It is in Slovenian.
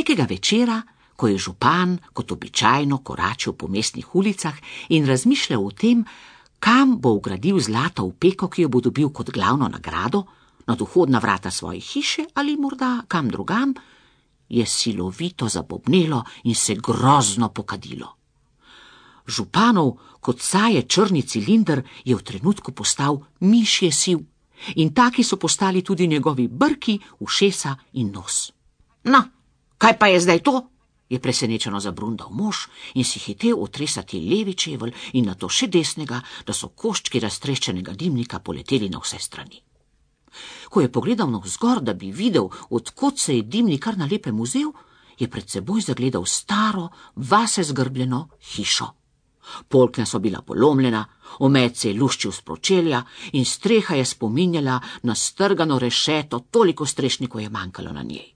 Nekega večera, ko je župan kot običajno koračil po mestnih ulicah in razmišljal o tem, kam bo vgradil zlato opeko, ki jo bo dobil kot glavno nagrado, nad vhodna vrata svoje hiše ali morda kam drugam, je silovito zabobnelo in se grozno pokadilo. Županov kot saje črni cilinder je v trenutku postal mišje siv in taki so postali tudi njegovi brki, ušesa in nos. No, kaj pa je zdaj to? Je presenečeno zabrundal mož in si hitel otresati levi čevelj in nato še desnega, da so koščki raztreščenega dimnika poleteli na vse strani. Ko je pogledal navzgor, da bi videl, od kod se je dimnik kar na lepem vzel, je pred seboj zagledal staro, vase zgrbljeno hišo. Polkna so bila polomljena, omet se je luščil s pročelja in streha je spominjala na strgano rešeto, toliko strešnikov je manjkalo na njej.